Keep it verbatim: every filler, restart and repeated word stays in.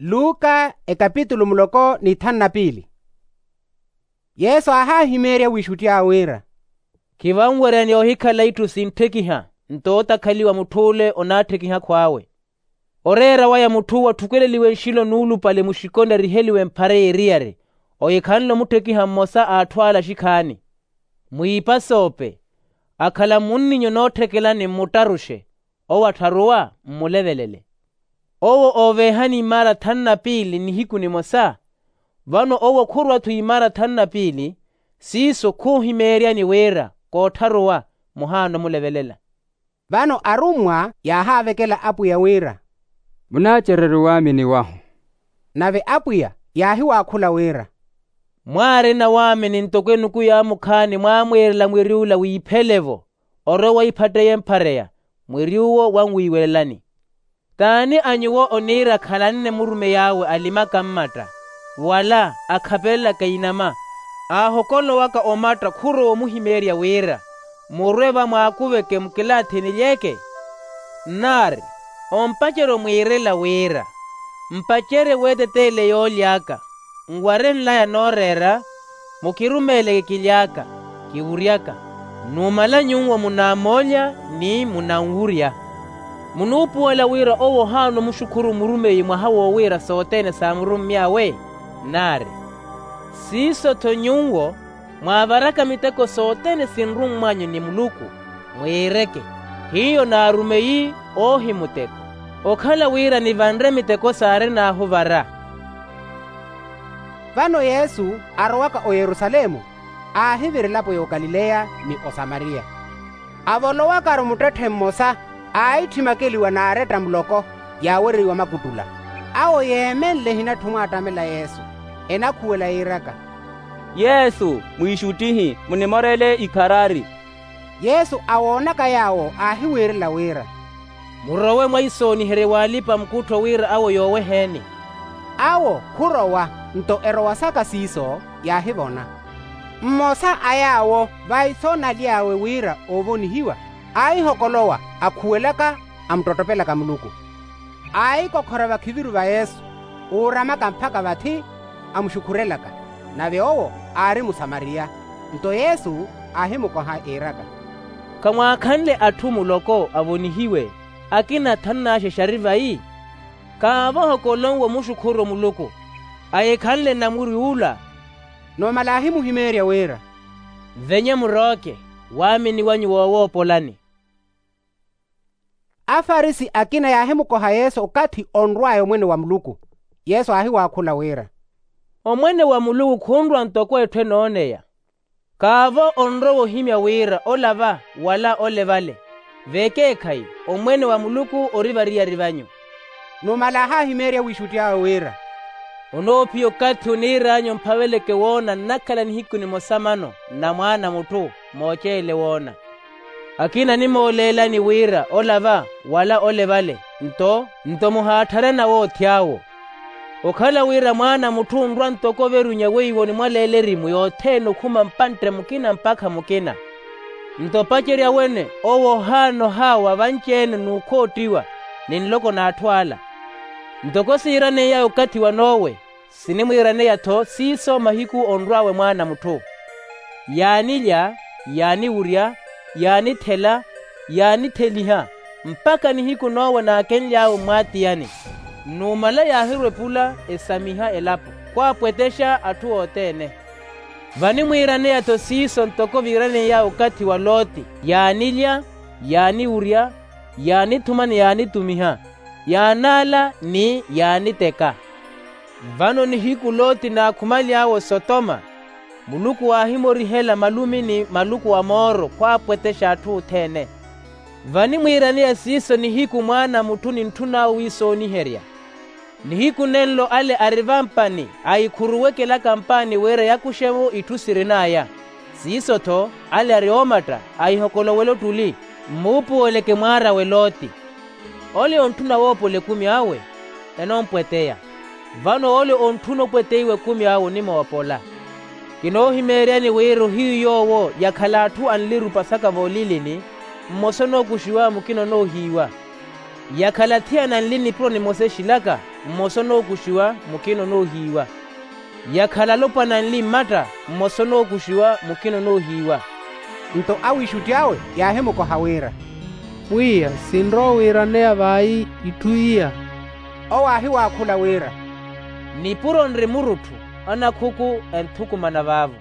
Luka ekapitulu muloko n'ithanu na piili. Yesu aahahimeerya wiixutti awe wira, khivanweryani ohikhala itthu sintthekiha nto otakhaliwa mutth'ule onaatthekiha akhw'awe. Oreera waya mutth'uwo atthukeleliwe nxilo nuulupale muxikoni ariheliwe mphara y'eriyari. Oyo ekhanle omutthekiha mmosa a atthu ale axikhaani. Mwiipasoope akhala mmunninyu nootthekelani mmuttaruxe. Owo attharuwa mmulevelele. Owo ooveehani imaara thanu na piili nihiku nimosa. Vano owo khurwa-tho imaara thanu na piili. Siiso khuuhimeeryani wira koottharuwa muhaana omulevelela. Vano arummwa yaahaavekela apwiya wira, munaacereru waamini wahu? Nave apwiya yaahiwaakhula wira, mwaarina waamini ntoko enuku yaamukhaani mwaamwiirela mwiri ula wiiphele-vo, orowe waiphatteiye mphareya mwiri uwo wanwiiwelelani. T'ani a nyuwo oniira khalanne murumey'awe alimaka mmatta wala akhapelelaka inama, aahokolowaka omatta khurowa omuhimeerya wira murwe vamwaakuveke mukilaathi enilyeeke? Nnaari ompacerya omwiirela wira mpacerye weeteteele yooly'aka nware nlaya nooreera, mukirumeeleke kily'aka kiwury'aka. Numala nyuwo munaamoolya ni munanwurya. Munuupuwela wira owo ohaana omuxukhuru murumeyi mwaha wowiira sothene saamurummy'awe? Nnaari siiso-tho nyuwo mwaavaraka miteko sothene sinrummw'anyu ni muluku, mwiireke hiyo naarumeyi oohimuteko okhala wira nivanre miteko saarin'ahu vara. Vano yesu arowaka oyerusalemu aahivira elapo y'okalileya ni osamariya. Avolowakaru muttetthe mmosa aahitthimaka eliwa n'aretta muloko yaawereiwa makuttula. Awo yeemenle ehinatthi omwaattamela yesu enakhuwela yiiraka, yesu mwiixuttihi munimoreele ikharari. Yesu awoonaka yaawo aahiwiirela wira, murowe mwaisooniherye w'alipa-mukuttho wira awo yooweheeni. Awo khurowa nto erowasaka siiso yaahivona. Mmosa a yaawo vaiso naly'awe wira oovonihiwa aahihokolowa akhuwelaka amuttottopelaka muluku. Aahikokhora vakhiviru va yesu uuramaka mpakha vathi amuxukhurelaka. Nave owo aari musamariya. Nto yesu aahimukoha iiraka, khamwaakhanle atthu muloko avonihiwe akina thanu n'axexe ari vayi? Kaavo ohokolonwe omuxukhuru muluku ahikhanle namurwi ula. Numala aahimuhimeerya wira, venye murooke waamini wanyu woowoopolani. Afarisi akina yaahimukoha yesu okathi onrw'aya omwene wa muluku. Yesu aahiwaakhula wira, omwene wa muluku khunrwa ntoko etthu enooneya. Kaavo onrowa ohimya wira ola va wala ole vale. Vekeekhayi omwene wa muluku ori variyari vanyu. Numala aahahimeerya wiixutti awe wira, onoophiya okathi oniir'anyu omphaveleke woona nnakhala nihiku nimosa mano nna mwaana a mutthu mooceele woona. Akina animooleelani wira ola va wala ole vale nto nto muhaattharana woothi awo. Okhala wira mwaana a mutthu onrwa ntoko overunya weiwo onimwaleela erimu yothene okhuma mpantte mukina mpakha mukina. Nto opacerya wene owo ohaana ohaawa vanci-ene n'ukhoottiwa ni nloko n'atthu ala. Ntoko siiraneiyawe okathi wa nowe sinimwiiraneya-tho siiso mahiku onrw'awe mwaana a mutthu. Yaanilya, yaaniwurya, yaanithela, yaanitheliha mpakha nihiku nowe naakenly'awe mmwaatiyani. Numala yaahirwa epula esamiha elapo khwaapwetexa atthu othene. Vanimwiiraneya-tho siiso ntoko viiraneiy'awe okathi wa loti, yaanilya, yaaniwurya, yaanithuma ni yaanitumiha, yaanaala ni yaaniteka. Vano nihiku loti naakhumaly'awe osotoma, muluku aahimorihela malumi ni maluku a mooro khwaapwetexa atthu othene. Vanimwiiraneya siiso nihiku mwaana a mutthu nintthun'awe wiisooniherya. Nihiku nenlo ale ari vampani ahikhuruwekelaka mpaani wira yakuxe-vo itthu sirin'aya. Siiso-tho ale ari oomatta ahihokolowele ottuli, mmuupuweleke mwaar'awe loti. Ole ontthuna woopola ekumi awe enoompweteya. Vano ole ontthuna opweteiwa ekumi awe onimoopola. Kinoohimeeryani wira ohiyu yoowo yakhala atthu anlira opasaka voolilini, mmosa onookuxiwa mukina onoohiiwa. Yakhala athiana anli nipuro nimosa exilaka, mmosa onookuxiwa, mukina onoohiiwa. Yakhala alopwana anli mmatta, mmosa onookuxiwa, mukina onoohiiwa. Nto awiixutti awe yaahimukoha wira, pwiya, sinrowa wiiraneya vayi itthu iya. Owo aahiwaakhula wira, nipuro nri murutthu, anakhuku enthukumana vaavo.